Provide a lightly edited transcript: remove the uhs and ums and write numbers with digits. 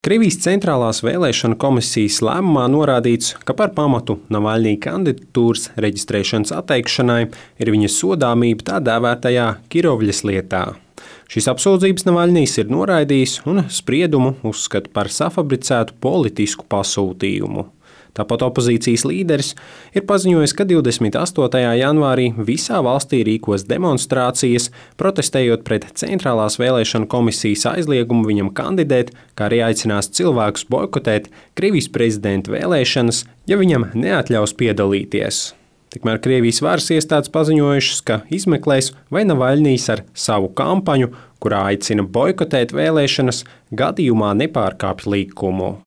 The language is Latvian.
Krievijas centrālās vēlēšanu komisijas lēmumā norādīts, ka par pamatu Navaļņija kandidatūras reģistrēšanas atteikšanai ir viņa sodāmība tā dēvētajā Kirovļas lietā. Šīs apsūdzības Navaļņijs ir noraidījis un spriedumu uzskata par safabricētu politisku pasūtījumu. Tāpat opozīcijas līderis ir paziņojis, ka 28. janvārī visā valstī rīkos demonstrācijas, protestējot pret centrālās vēlēšanu komisijas aizliegumu viņam kandidēt, kā arī aicinās cilvēkus boikotēt Krievijas prezidenta vēlēšanas, ja viņam neatļaus piedalīties. Tikmēr Krievijas varas iestādes paziņojušas, ka izmeklēs, vai Navaļņijs ar savu kampaņu, kurā aicina boikotēt vēlēšanas, gadījumā nepārkāpj likumu.